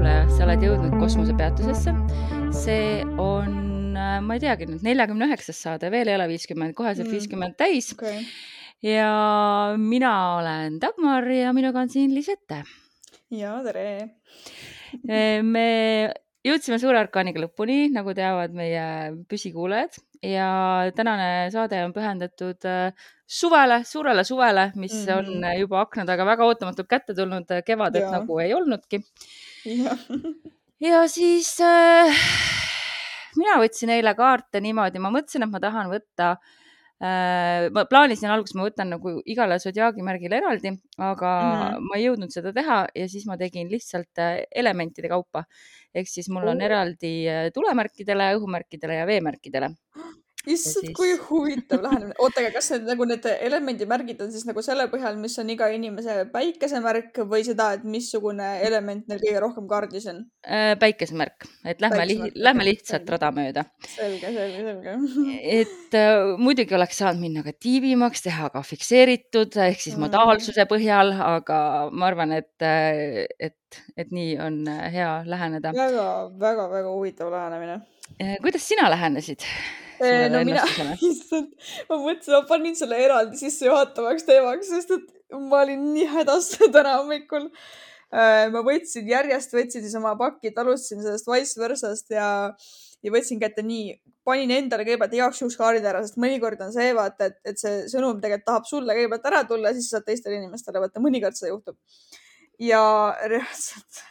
kuulaja, sa oled jõudnud kosmosepeatusesse. See on, ma ei teagi nüüd, 49. saade, veel ei ole 50, koheselt 50 täis. Okay. Ja mina olen Dagmar ja minuga on siin Lisette. Ja, tere! Me jõudsime Suure Arkaaniga lõpuni, nagu teavad meie püsikuulajad. Ja tänane saade on pühendatud suvele, suurele suvele, mis on juba akna taga väga ootamatult kätte tulnud, kevadet nagu ei olnudki. Ja siis mina võtsin eile kaarte niimoodi, ma mõtlesin, et ma tahan võtta, ma plaanisin alguses, ma võtan nagu igale sodiaagimärgile eraldi, aga ma ei jõudnud seda teha ja siis ma tegin lihtsalt elementide kaupa. Ehk siis mul on eraldi tulemärkidele, õhumärkidele ja veemärkidele. Issand, kui huvitav lähenemine. Oota, aga kas need elemendimärgid on siis nagu selle põhjal, mis on iga inimese päikesemärk või seda, et missugune element neil kõige rohkem kaardis on? Päikesemärk, et lähme lihtsalt rada mööda. Selge. Et muidugi oleks saanud minna ka tiibimaks, teha ka fikseeritud, ehk siis modaalsuse põhjal, aga ma arvan, et nii on hea läheneda. Väga huvitav lähenemine. Kuidas sina lähenesid? No mina, ma mõtlesin, ma panin selle eraldi sisse juhatavaks teemaks, sest et ma olin nii hädas täna hommikul. Ma järjest võtsin siis oma pakid, alustasin sellest vice versast ja võtsin kätte nii, panin endale kõigepealt igaks juhuks kaardid ära, sest mõnikord on see, vaata, et see sõnum tegelikult tahab sulle kõigepealt ära tulla, siis saad teistele inimestele, vaata, mõnikord seda juhtub. Ja reaalselt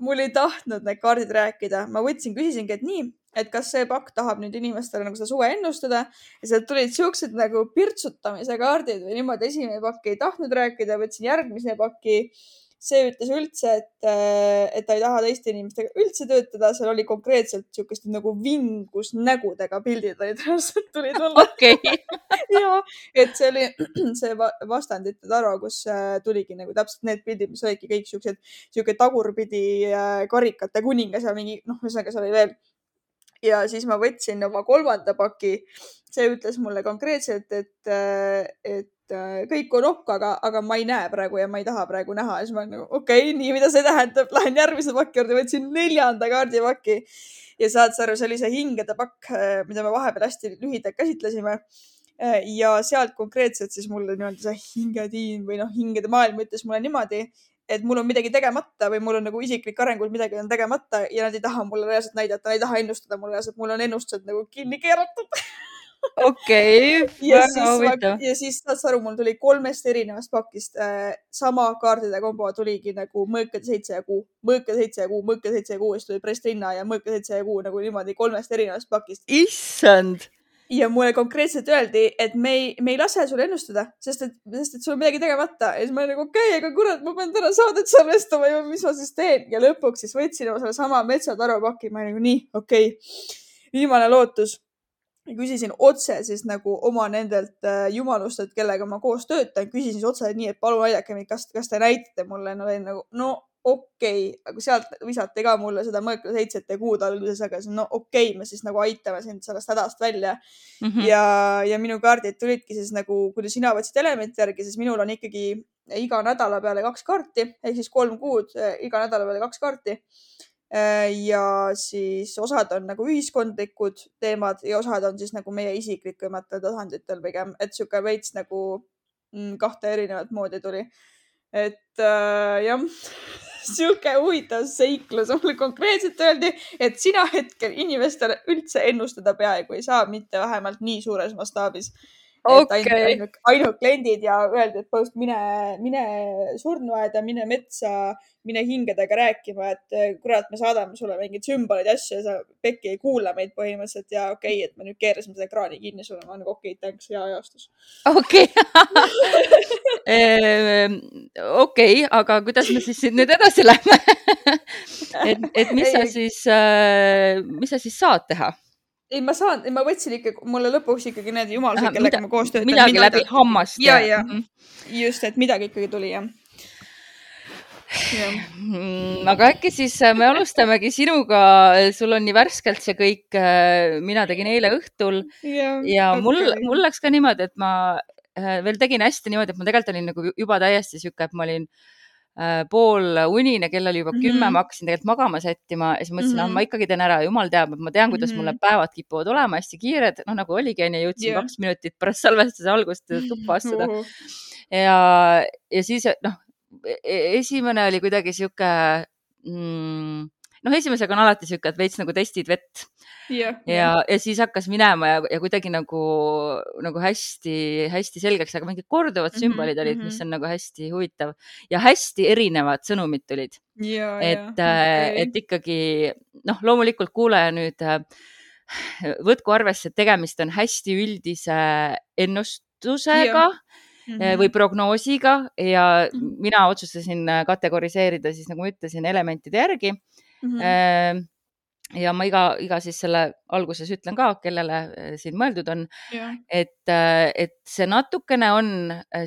mul ei tahtnud need kaardid rääkida. Ma küsisingi, et nii, et kas see pakk tahab nüüd inimestele nagu seda suve ennustada ja sealt tulid siuksed nagu pirtsutamise kaardid või niimoodi. Esimene pakk ei tahtnud rääkida, võtsin järgmise pakki. See ütles üldse, et ta ei taha teiste inimestega üldse töötada. Seal oli konkreetselt siukest nagu vingus nägudega pildid tulid mulle. Okay. Ja, et see oli see vastandite taro, kus tuligi nagu täpselt need pildid, mis olidki kõik siuke tagurpidi karikate kuningas ja mingi, ühesõnaga see oli veel. Ja siis ma võtsin oma kolmanda paki. See ütles mulle konkreetselt, et kõik on aga ma ei näe praegu ja ma ei taha praegu näha. Ja siis ma nagu, okei, nii, mida see tähendab? Lähen järgmise pakki juurde, võtsin 4. kaardipaki ja saad sa aru, see oli see hingede pakk, mida me vahepeal hästi lühidalt käsitlesime. Ja sealt konkreetselt siis mulle niimoodi see hingediin või hingede maailm ütles mulle niimoodi, et mul on midagi tegemata või mul on nagu isiklik arengul midagi on tegemata ja nad ei taha mulle reaalselt näidata, nad ei taha ennustada mulle reaalselt, mul on ennustused nagu kinni keeratud. Okei, väga huvitav. Ja siis saad sa aru, mul tuli 3 erinevast pakist sama kaardide kombo tuligi nagu mõõkade 7 ja kuu, mõõkade 7 ja kuu, mõõkade 7 ja kuu, siis tuli presslinna ja mõõkade 7 ja kuu nagu niimoodi 3 erinevast pakist. Issand! Ja mulle konkreetselt öeldi, et me ei lase sul ennustada, sest et sul on midagi tegemata. Ja siis ma olin nagu, okei, aga kurat, ma pean täna saadet salvestama ja mis ma siis teen. Ja lõpuks siis võtsin selle sama metsataropaki. Ma olin nagu nii, okei, viimane lootus. Ja küsisin otse siis nagu oma nendelt jumalustelt, kellega ma koos töötan. Küsisin siis otse nii, et palun aidake mind, kas te näitate mulle. No olin nagu, no okei, aga sealt visati ka mulle seda mõõkade 7 kuud alguses, aga no okei, me siis nagu aitame sind sellest hädast välja. Ja minu kaardid tulidki siis nagu, kui sina võtsid elementi järgi, siis minul on ikkagi iga nädala peale 2 kaarti, ehk siis 3 kuud, iga nädala peale 2 kaarti. Ja siis osad on nagu ühiskondlikud teemad ja osad on siis nagu meie isiklikumatel tasanditel pigem, et siuke veits nagu 2 erinevat moodi tuli. Et jah, siuke huvitav seiklus. Mulle konkreetselt öeldi, et sina hetkel inimestele üldse ennustada peaaegu ei saa, mitte vähemalt nii suures mastaabis. Okay. Ainult kliendid ja öeldi, et põhjust mine surnuaeda, mine metsa, mine hingedega rääkima, et kurat, me saadame sulle mingid sümbolid ja asju ja sa pekki ei kuula meid põhimõtteliselt ja okei, et me nüüd keerasime seda ekraani kinni sulle. Ma olen okei, thanks, hea ajastus. Okei. Okei, aga kuidas me siis nüüd edasi lähme? et mis sa siis saad teha? Ei, ma võtsin ikka, mulle lõpuks ikkagi need jumalused, kellega ma koos töötan. Midagi läbi hammast. Ja. Just, et midagi ikkagi tuli, jah. Aga äkki siis me alustamegi sinuga, sul on nii värskelt see kõik, mina tegin eile õhtul ja mul läks ka niimoodi, et ma veel tegin hästi niimoodi, et ma tegelikult olin nagu juba täiesti siuke, et ma olin pool unine, kell oli juba 10, ma hakkasin tegelikult magama sättima ja siis mõtlesin, ma ikkagi teen ära, jumal teab, et ma tean, kuidas mul need päevad kipuvad olema hästi kiired, nagu oligi, jõudsin 2 minutit pärast salvestuse algust tuppa astuda. Ja siis, esimene oli kuidagi sihuke, esimesega on alati sihuke, et veits nagu testid vett. Ja siis hakkas minema ja kuidagi nagu hästi selgeks, aga mingid korduvad sümbolid olid, mis on nagu hästi huvitav ja hästi erinevad sõnumid tulid. Et ikkagi, loomulikult kuulaja nüüd võtku arvesse, et tegemist on hästi üldise ennustusega või prognoosiga ja mina otsustasin kategoriseerida siis, nagu ma ütlesin, elementide järgi. Ja ma iga siis selle alguses ütlen ka, kellele siin mõeldud on, et see natukene on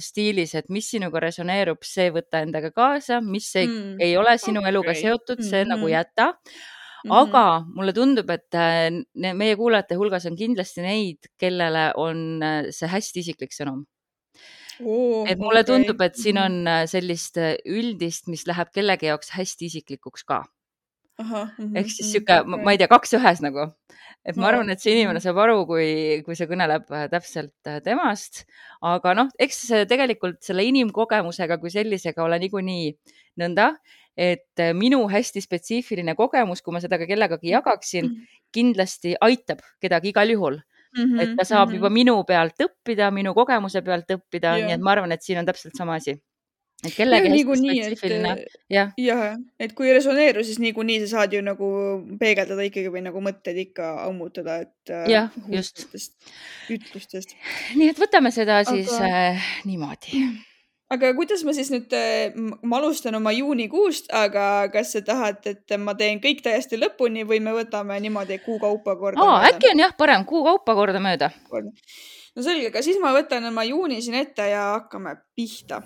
stiilis, et mis sinuga resoneerub, see võtta endaga kaasa, mis ei ole sinu eluga seotud, see nagu jäta. Aga mulle tundub, et meie kuulajate hulgas on kindlasti neid, kellele on see hästi isiklik sõnum. Et mulle tundub, et siin on sellist üldist, mis läheb kellegi jaoks hästi isiklikuks ka. Ehk siis siuke, ma ei tea, 2 ühes nagu. Et ma arvan, et see inimene saab aru, kui see kõneleb täpselt temast. Aga eks tegelikult selle inimkogemusega kui sellisega ole niikuinii nõnda, et minu hästi spetsiifiline kogemus, kui ma seda ka kellegagi jagaksin, kindlasti aitab kedagi igal juhul. Et ta saab juba minu pealt õppida, minu kogemuse pealt õppida, nii et ma arvan, et siin on täpselt sama asi. Et kellegi hästi spetsiifiline. Et kui resoneeru, siis niikuinii sa saad ju nagu peegeldada ikkagi või nagu mõtted ikka ammutada, et just ütlustest. Nii et võtame seda siis niimoodi. Aga kuidas ma siis nüüd, ma alustan oma juunikuust, aga kas sa tahad, et ma teen kõik täiesti lõpuni või me võtame niimoodi kuu kaupa korda mööda? Äkki on parem kuu kaupa korda mööda. No selge, aga siis ma võtan oma juuni siin ette ja hakkame pihta.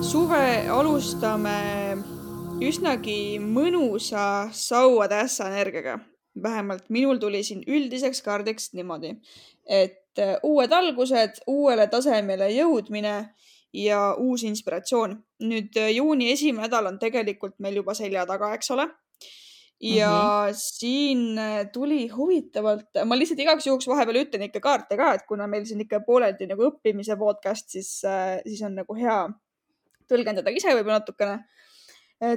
Suve alustame üsnagi mõnusa sauade ässa energiaga. Vähemalt minul tuli siin üldiseks kaardiks niimoodi, et uued algused, uuele tasemele jõudmine ja uus inspiratsioon. Nüüd juuni esimene nädal on tegelikult meil juba selja taga, eks ole. Ja siin tuli huvitavalt, ma lihtsalt igaks juhuks vahepeal ütlen ikka kaarte ka, et kuna meil siin ikka pooleldi nagu õppimise podcast, siis on nagu hea tõlgendada ise võib-olla natukene.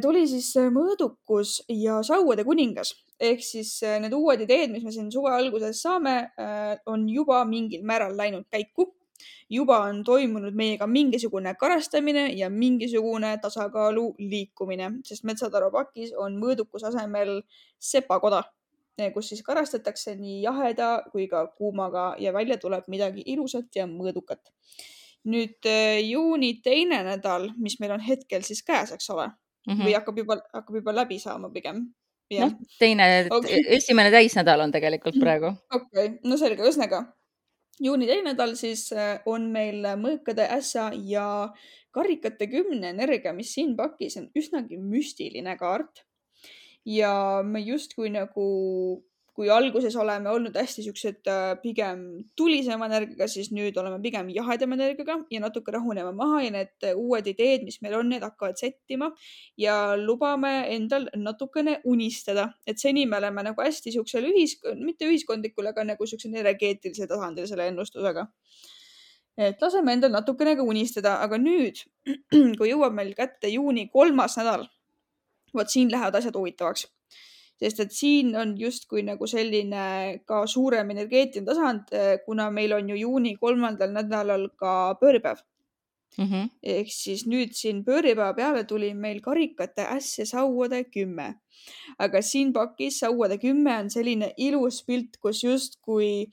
Tuli siis mõõdukus ja sauade kuningas. Ehk siis need uued ideed, mis me siin suve alguses saame, on juba mingil määral läinud käiku. Juba on toimunud meiega mingisugune karastamine ja mingisugune tasakaalu liikumine, sest Metsataru pakis on mõõdukus asemel sepakoda, kus siis karastatakse nii jaheda kui ka kuumaga ja välja tuleb midagi ilusat ja mõõdukat. Nüüd juuni teine nädal, mis meil on hetkel siis käes, eks ole, või hakkab juba läbi saama pigem. Esimene täisnädal on tegelikult praegu. No selge, ühesõnaga. Juuni teine nädal siis on meil mõõkade ässa ja karikate 10 energia, mis siin pakis on üsnagi müstiline kaart. Ja me justkui nagu, kui alguses oleme olnud hästi siuksed pigem tulisema energiaga, siis nüüd oleme pigem jahedama energiaga ja natuke rahunema maha ja need uued ideed, mis meil on, need hakkavad settima ja lubame endal natukene unistada. Et seni me oleme nagu hästi siuksel mitte ühiskondlikul, aga nagu siuksel energeetilisel tasandil selle ennustusega. Et laseme endal natukene ka unistada, aga nüüd, kui jõuab meil kätte juuni 3. nädal, võt siin lähevad asjad huvitavaks. Sest et siin on justkui nagu selline ka suurem energeetiline tasand, kuna meil on ju juuni 3. nädalal ka pööripäev. Ehk siis nüüd siin pööripäeva peale tuli meil karikate äss ja sauade 10. Aga siin pakis sauade 10 on selline ilus pilt, kus justkui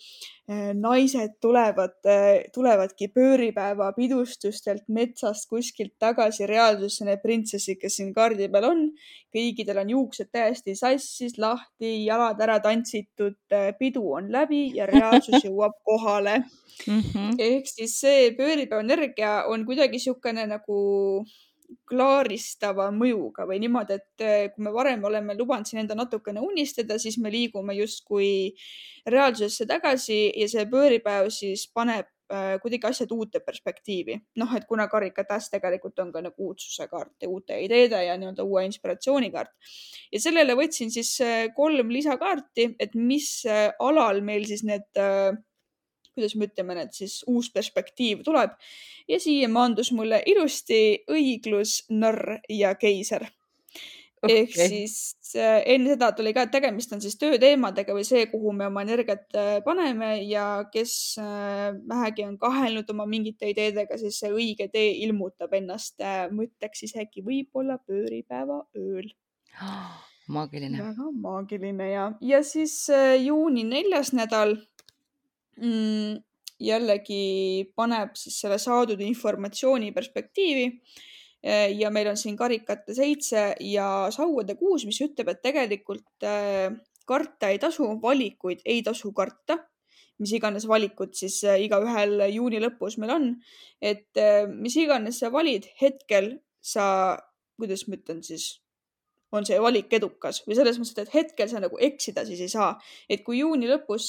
naised tulevadki pööripäeva pidustustelt metsast kuskilt tagasi reaalsusse, need printsessid, kes siin kaardi peal on. Kõigidel on juuksed täiesti sassis, lahti, jalad ära tantsitud, pidu on läbi ja reaalsus jõuab kohale. Ehk siis see pööripäeva energia on kuidagi siukene nagu klaaristava mõjuga või niimoodi, et kui me varem oleme lubanud siin enda natukene unistada, siis me liigume justkui reaalsusesse tagasi ja see pööripäev siis paneb kuidagi asjad uute perspektiivi. Noh, et kuna karikatäs tegelikult on ka nagu uudsuse kaart ja uute ideede ja nii-öelda uue inspiratsiooni kaart. Ja sellele võtsin siis 3 lisakaarti, et mis alal meil siis need kuidas me ütleme, need siis uus perspektiiv tuleb. Ja siia maandus mulle ilusti õiglus, narr ja keiser. Ehk siis enne seda tuli ka, et tegemist on siis tööteemadega või see, kuhu me oma energiat paneme ja kes vähegi on kahelnud oma mingite ideedega, siis see õige tee ilmutab ennast mõtteks isegi võib-olla pööripäeva ööl. Maagiline. Väga maagiline ja siis juuni 4. nädal jällegi paneb siis selle saadud informatsiooni perspektiivi ja meil on siin karikate 7 ja sauade 6, mis ütleb, et tegelikult karta ei tasu, valikuid ei tasu karta, mis iganes valikud siis igaühel juuni lõpus meil on, et mis iganes sa valid, hetkel sa, kuidas ma ütlen siis, on see valik edukas või selles mõttes, et hetkel sa nagu eksida siis ei saa. Et kui juuni lõpus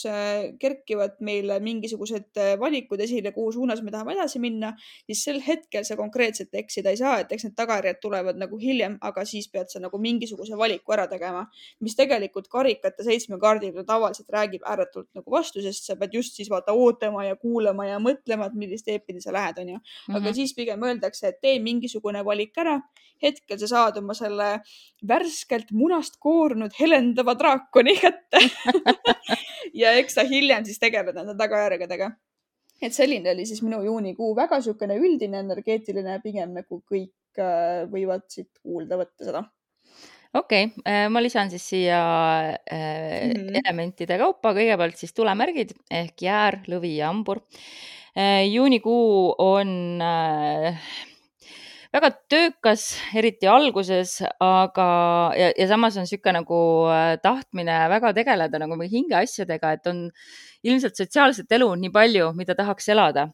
kerkivad meil mingisugused valikud esile, kuhu suunas me tahame edasi minna, siis sel hetkel sa konkreetselt eksida ei saa, et eks need tagajärjed tulevad nagu hiljem, aga siis pead sa nagu mingisuguse valiku ära tegema, mis tegelikult karikate 7 kaardil tavaliselt räägib ääretult nagu vastu, sest sa pead just siis vaata ootama ja kuulama ja mõtlema, et millist teepidi sa lähed, on ju. Aga siis pigem öeldakse, et tee mingisugune valik ära, hetkel sa saad oma selle värskelt munast koorunud helendava draakoni kätte ja eks sa hiljem siis tegeled nende tagajärgedega. Et selline oli siis minu juunikuu, väga niisugune üldine energeetiline, pigem nagu kõik võivad siit kuulda võtta seda. Okei, ma lisan siis siia elementide kaupa, kõigepealt siis tulemärgid ehk jäär, lõvi ja hambur. Juunikuu on väga töökas, eriti alguses, aga ja samas on niisugune nagu tahtmine väga tegeleda nagu hingeasjadega, et on ilmselt sotsiaalset elu nii palju, mida tahaks elada,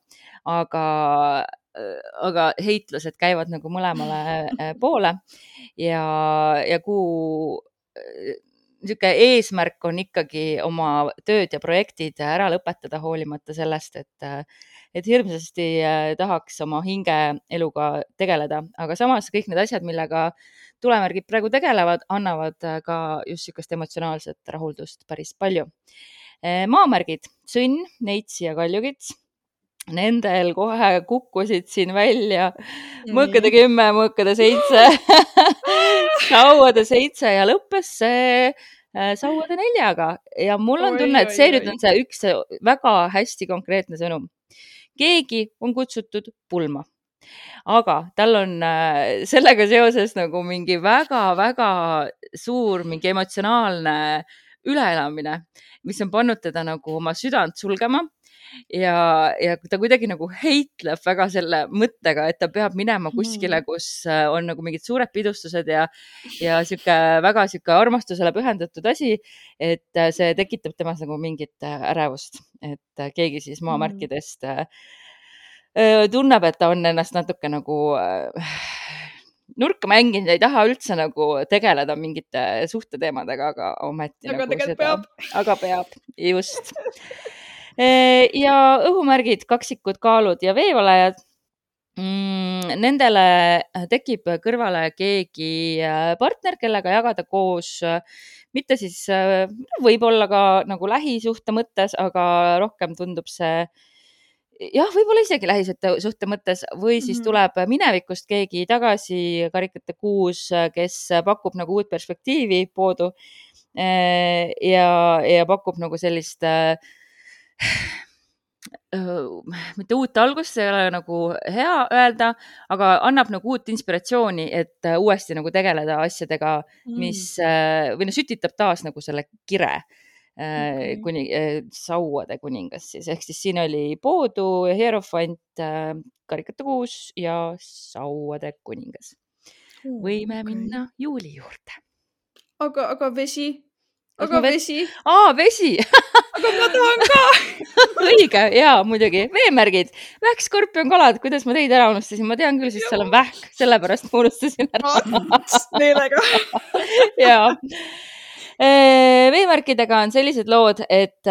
aga heitlused käivad nagu mõlemale poole ja kuu niisugune eesmärk on ikkagi oma tööd ja projektid ära lõpetada, hoolimata sellest, et hirmsasti tahaks oma hingeeluga tegeleda, aga samas kõik need asjad, millega tulemärgid praegu tegelevad, annavad ka just niisugust emotsionaalset rahuldust päris palju. Maamärgid, sõnn, neitsi ja kaljukits. Nendel kohe kukkusid siin välja mõõkade 10, mõõkade 7, sauade 7 ja lõppes see sauade 4-ga ja mul on tunne, et see nüüd on see üks väga hästi konkreetne sõnum. Keegi on kutsutud pulma, aga tal on sellega seoses nagu mingi väga-väga suur mingi emotsionaalne üleelamine, mis on pannud teda nagu oma südant sulgema ja ta kuidagi nagu heitleb väga selle mõttega, et ta peab minema kuskile, kus on nagu mingid suured pidustused ja väga armastusele pühendatud asi, et see tekitab temas nagu mingit ärevust, et keegi siis maamärkidest tunneb, et ta on ennast natuke nagu nurka mänginud, ei taha üldse nagu tegeleda mingite suhteteemadega, aga ometi aga nagu seda peab. Aga peab, just. Ja õhumärgid, kaksikud, kaalud ja veevalajad. Nendele tekib kõrvale keegi partner, kellega jagada koos, mitte siis võib-olla ka nagu lähisuhte mõttes, aga rohkem tundub see jah, võib-olla isegi lähisuhte mõttes või siis tuleb minevikust keegi tagasi, karikate 6, kes pakub nagu uut perspektiivi poodu ja pakub nagu sellist mitte uut algust, see ei ole nagu hea öelda, aga annab nagu uut inspiratsiooni, et uuesti nagu tegeleda asjadega, mis või sütitab taas nagu selle kire sauade kuningas siis, ehk siis siin oli poodu, hierofant, karikate 6 ja sauade kuningas. Võime minna juuli juurde. Aga vesi? Vesi? Vesi! aga ma tahan ka. õige, jaa, muidugi. veemärgid, vähk, skorpion, kalad, kuidas ma teid ära unustasin, ma tean küll, siis seal on vähk, sellepärast ma unustasin ära. Neelega. jaa. Veemärkidega on sellised lood, et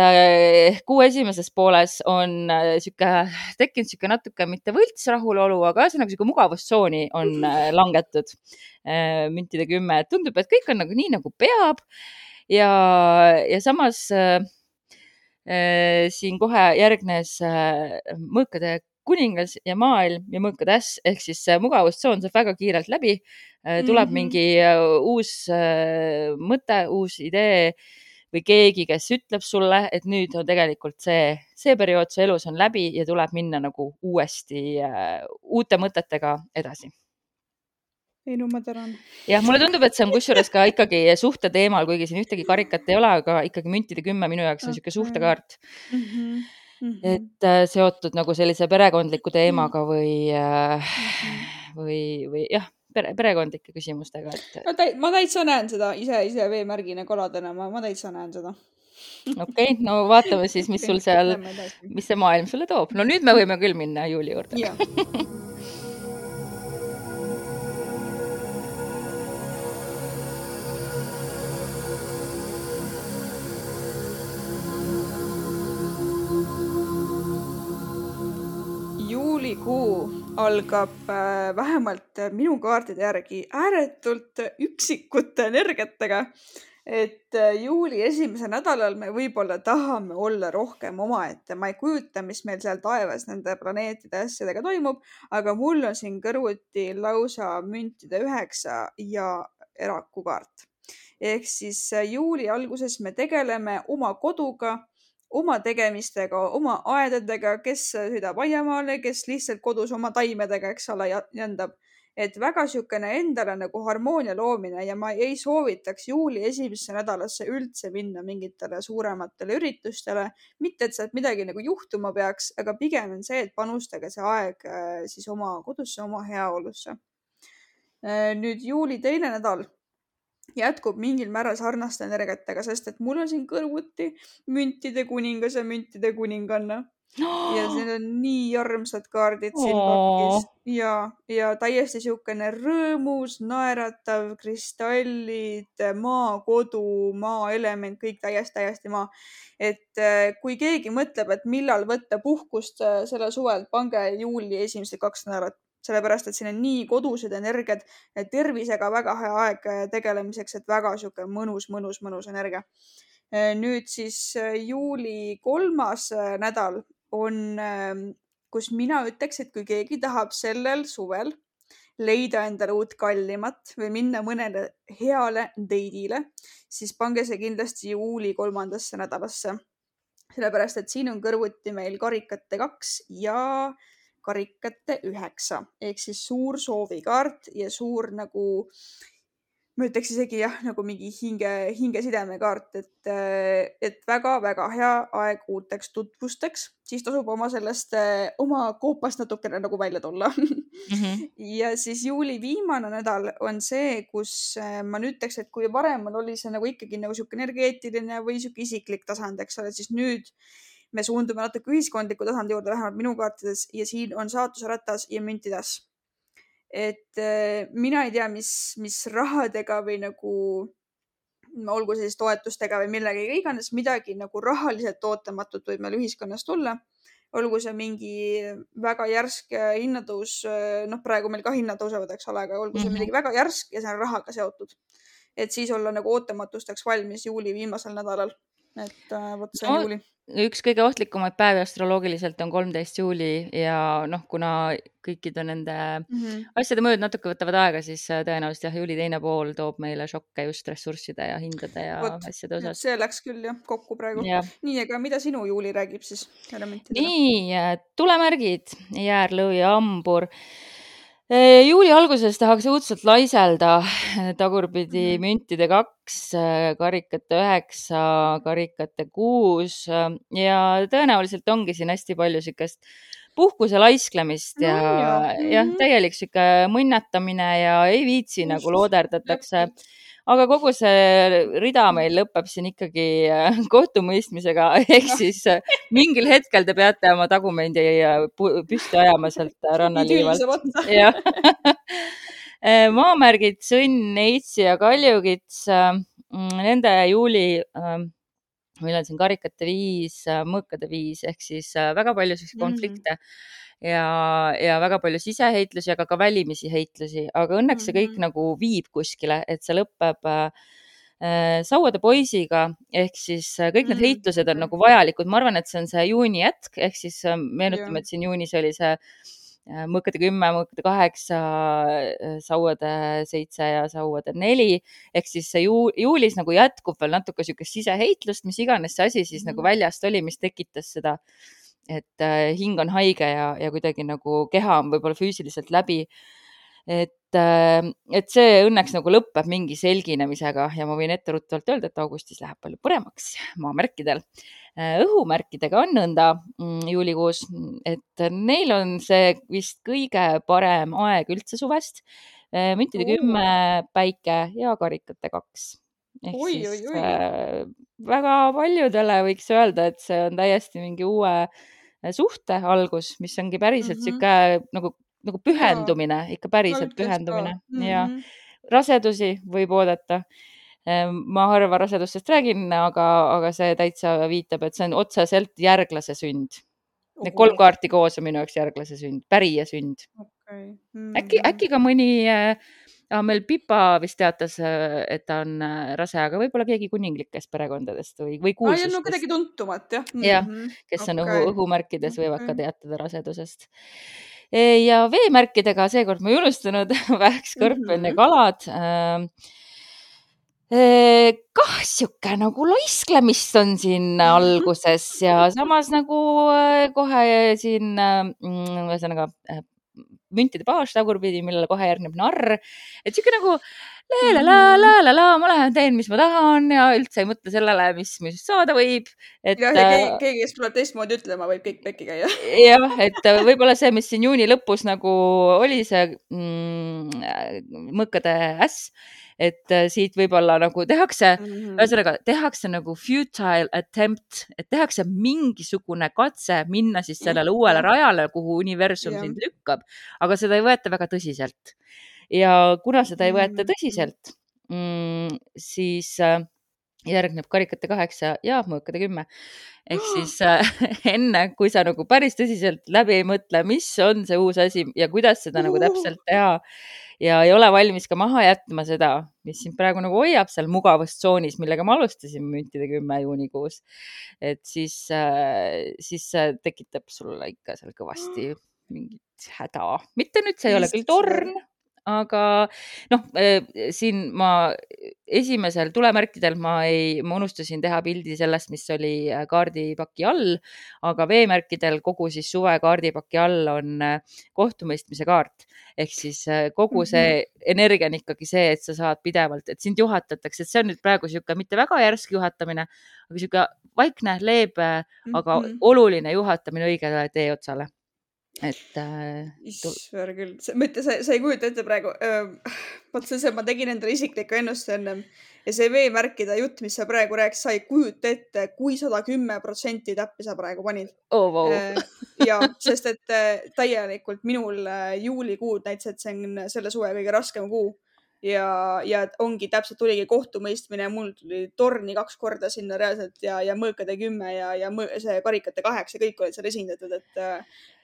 kuu esimeses pooles on tekkinud siuke natuke mitte võlts rahulolu, aga ühesõnaga siuke mugavustsooni on langetud müntide 10. Tundub, et kõik on nagu nii, nagu peab ja samas siin kohe järgnes mõõkade kuningas ja maailm ja mõõkade äss ehk siis mugavustsoon saab väga kiirelt läbi. Tuleb mingi uus mõte, uus idee või keegi, kes ütleb sulle, et nüüd on tegelikult see periood su elus on läbi ja tuleb minna nagu uuesti uute mõtetega edasi. Ei, no ma tänan. Jah, mulle tundub, et see on kusjuures ka ikkagi suhte teemal, kuigi siin ühtegi karikat ei ole, aga ikkagi müntide 10 minu jaoks on siuke suhtekaart. Et seotud nagu sellise perekondliku teemaga või jah, perekondlike küsimustega. Ma täitsa näen seda ise veemärgina kaladena, ma täitsa näen seda. Okei, no vaatame siis, mis sul seal, mis see maailm sulle toob. No nüüd me võime küll minna Juuli juurde. Juulikuu algab vähemalt minu kaardide järgi ääretult üksikute energiatega, et juuli esimesel nädalal me võib-olla tahame olla rohkem omaette. Ma ei kujuta, mis meil seal taevas nende planeetide asjadega toimub, aga mul on siin kõrvuti lausa müntide 9 ja erakukaart. Ehk siis juuli alguses me tegeleme oma koduga, oma tegemistega, oma aedadega, kes sõidab aiamaale, kes lihtsalt kodus oma taimedega, eks ole, jändab. Et väga siukene endale nagu harmoonia loomine ja ma ei soovitaks juuli esimesse nädalasse üldse minna mingitele suurematele üritustele. Mitte, et sealt midagi nagu juhtuma peaks, aga pigem on see, et panustage see aeg siis oma kodusse, oma heaolusse. Nüüd juuli teine nädal jätkub mingil määral sarnaste energiatega, sest et mul on siin kõrvuti müntide kuningas ja müntide kuninganna. Ja siin on nii armsad kaardid siin pakis. Ja täiesti siukene rõõmus, naeratav, kristallid, maa, kodu, maa element, kõik täiesti maa. Et kui keegi mõtleb, et millal võtta puhkust selle suvel, pange juuli esimesed 2 nädalat. Sellepärast, et siin on nii kodused energiat, tervisega väga hea aeg tegelemiseks, et väga siuke mõnus energia. Nüüd siis juuli 3. nädal on, kus mina ütleks, et kui keegi tahab sellel suvel leida endale uut kallimat või minna mõnele heale date'ile, siis pange see kindlasti juuli 3. nädalasse. Sellepärast, et siin on kõrvuti meil karikate 2 ja karikate 9 ehk siis suur soovikaart ja suur nagu, ma ütleks isegi jah, nagu mingi hingesideme kaart, et väga hea aeg uuteks tutvusteks, siis tasub oma koopast natukene nagu välja tulla. Ja siis juuli viimane nädal on see, kus ma ütleks, et kui varem oli see nagu ikkagi nagu siuke energeetiline või siuke isiklik tasand, eks ole, siis nüüd me suundume natuke ühiskondliku tasandi juurde, vähemalt minu kaartides, ja siin on saatusratas ja müntidas. Et mina ei tea, mis rahadega või nagu, olgu siis toetustega või millegagi iganes, midagi nagu rahaliselt ootamatut võib meil ühiskonnas tulla. Olgu see mingi väga järsk hinnatõus, praegu meil ka hinnad tõusevad, eks ole, aga olgu see midagi väga järsk ja see on rahaga seotud. Et siis olla nagu ootamatusteks valmis juuli viimasel nädalal. Et võt see on juuli. Üks kõige ohtlikumaid päevi astroloogiliselt on 13. juuli ja kuna kõikide nende asjade mõjud natuke võtavad aega, siis tõenäoliselt juuli teine pool toob meile šokke just ressursside ja hindade ja asjade osas. See läks küll kokku praegu. Nii, aga mida sinu juuli räägib siis? Nii, tulemärgid, jäär, lõvi ja hambur. Juuli alguses tahaks õudselt laiselda, tagurpidi müntide 2, karikate 9, karikate 6 ja tõenäoliselt ongi siin hästi palju siukest puhkuse laisklemist ja täielik siuke mõnnatamine ja ei viitsi nagu looderdatakse. aga kogu see rida meil lõpeb siin ikkagi kohtumõistmisega, ehk siis mingil hetkel te peate oma tagumendi püsti ajama sealt rannaliivalt. Jah. Maamärgid Sõnn, Neitsi ja Kaljukits, nende juuli, meil on siin karikate 5, mõõkade 5, ehk siis väga palju konflikte ja väga palju siseheitlusi, aga ka välimisi heitlusi, aga õnneks see kõik nagu viib kuskile, et see lõpeb Sauade poisiga, ehk siis kõik need heitlused on nagu vajalikud. Ma arvan, et see on see juuni jätk, ehk siis meenutame, et siin juunis oli see mõõkade 10, mõõkade 8, Sauade 7 ja Sauade 4, ehk siis see juulis nagu jätkub veel natuke sükest siseheitlust, mis iganes see asi siis nagu väljast oli, mis tekitas seda, et hing on haige ja kuidagi nagu keha on võib-olla füüsiliselt läbi. Et see õnneks nagu lõpeb mingi selginemisega ja ma võin etteruttavalt öelda, et augustis läheb palju paremaks maamärkidel. Õhumärkidega on nõnda juulikuus, et neil on see vist kõige parem aeg üldse suvest. Müntide 10, Päike ja karikate 2. Ehk siis väga paljudele võiks öelda, et see on täiesti mingi uue suhte algus, mis ongi päriselt siuke nagu pühendumine, ikka päriselt pühendumine. Ja rasedusi võib oodata. Ma harva rasedustest räägin, aga see täitsa viitab, et see on otseselt järglase sünd. Need 3 kaarti koos on minu jaoks järglase sünd, pärija sünd. Äkki ka mõni, meil Pipa vist teatas, et ta on rase, aga võib-olla keegi kuninglikest perekondadest või kuulsustest. No kuidagi tuntumat, jah. Jah, kes on õhumärkides, võivad ka teatada rasedusest. Ja veemärkidega seekord ma ei unustanud, Vähk, Skorpion ja Kalad. Kah siuke nagu laisklemist on siin alguses ja samas nagu kohe siin, ühesõnaga müntide paas tagurpidi, millele kohe järgneb narr. Et siuke nagu ma lähen teen, mis ma tahan ja üldse ei mõtle sellele, mis saada võib. Ja keegi, kes tuleb teistmoodi ütlema, võib kõik pekki käia. Jah, et võib-olla see, mis siin juuni lõpus nagu oli see mõõkade äss, et siit võib-olla nagu tehakse, ühesõnaga tehakse nagu futile attempt, et tehakse mingisugune katse minna siis sellele uuele rajale, kuhu universum sind lükkab, aga seda ei võeta väga tõsiselt. Ja kuna seda ei võeta tõsiselt, siis järgneb karikate 8 ja mõõkade 10. Ehk siis enne, kui sa nagu päris tõsiselt läbi ei mõtle, mis on see uus asi ja kuidas seda nagu täpselt teha ja ei ole valmis ka maha jätma seda, mis sind praegu nagu hoiab seal mugavustsoonis, millega ma alustasin müntide 10 juunikuus. Et siis tekitab sulle ikka seal kõvasti mingit häda. Mitte nüüd, see ei ole küll torn, aga siin ma esimesel tulemärkidel ma unustasin teha pildi sellest, mis oli kaardipaki all, aga veemärkidel kogu siis suve kaardipaki all on kohtumõistmise kaart. Ehk siis kogu see energia on ikkagi see, et sa saad pidevalt, et sind juhatatakse, et see on nüüd praegu siuke mitte väga järsk juhatamine, aga siuke vaikne, leebe, aga oluline juhatamine õigele tee otsale. Issver küll, sa ei kujuta ette praegu, ma tegin endale isiklikku ennust ennem ja see veemärkide jutt, mis sa praegu rääkis, sa ei kujuta ette, kui 110% täppi sa praegu panid. Ja, sest et täielikult minul juulikuud näitas, et see on selle suve kõige raskem kuu ja ongi täpselt tuligi kohtumõistmine, mul tuli torni 2 korda sinna reaalselt ja mõõkade 10 ja see karikate 8, kõik olid seal esindatud, et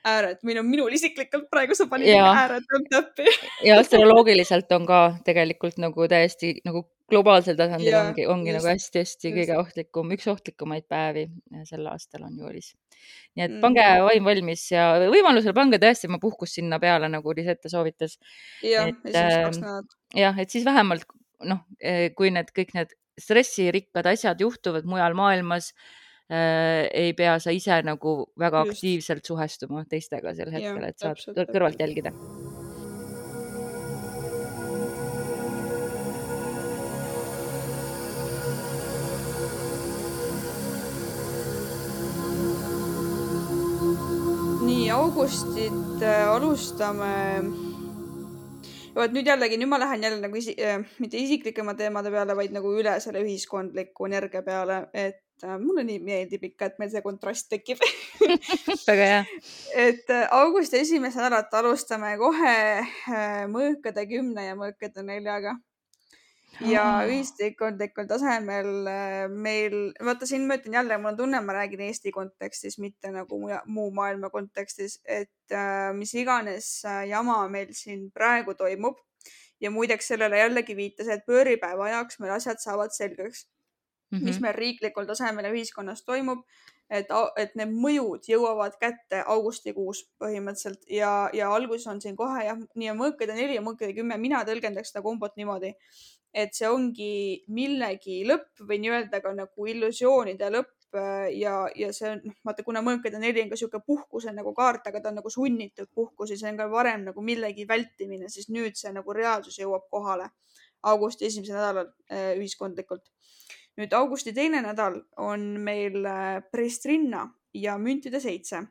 ääret, minul isiklikult praegu sa panid ääret täppi. Ja astroloogiliselt on ka tegelikult nagu täiesti nagu globaalsel tasandil ongi nagu hästi-hästi kõige ohtlikumaid, üks ohtlikumaid päevi sel aastal on juulis. Nii et pange vaim valmis ja võimalusel pange tõesti ma puhkus sinna peale, nagu Lisette soovitas. Jah, et siis vähemalt, kui kõik need stressirikkad asjad juhtuvad mujal maailmas, ei pea sa ise nagu väga aktiivselt suhestuma teistega sel hetkel, et saad kõrvalt jälgida. Nii, augustit alustame Vot nüüd jällegi, nüüd ma lähen jälle nagu mitte isiklikema teemade peale, vaid nagu üle selle ühiskondliku energia peale, et mulle nii meeldib ikka, et meil see kontrast tekib. Väga hea. Et augusti esimest nädalat alustame kohe mõõkade 10 ja mõõkade 4-ga. Ja ühiskondlikul tasemel meil, vaata siin ma ütlen jälle, mul on tunne, ma räägin Eesti kontekstis, mitte nagu muu maailma kontekstis, et mis iganes jama meil siin praegu toimub. Ja muideks sellele jällegi viitas, et pööripäeva ajaks meil asjad saavad selgeks, mis meil riiklikul tasemel ja ühiskonnas toimub. Et need mõjud jõuavad kätte augustikuus põhimõtteliselt ja alguses on siin kohe jah, nii mõõkade 4 ja mõõkade 10, mina tõlgendaks seda kombot niimoodi, et see ongi millegi lõpp või nii-öelda ka nagu illusioonide lõpp ja see on, vaata, kuna mõõkade 4 on ka siuke puhkuse nagu kaart, aga ta on nagu sunnitud puhkus ja see on ka varem nagu millegi vältimine, siis nüüd see nagu reaalsus jõuab kohale augusti esimesel nädalal ühiskondlikult. Nüüd augusti teine nädal on meil Prestrinna ja müntide 7,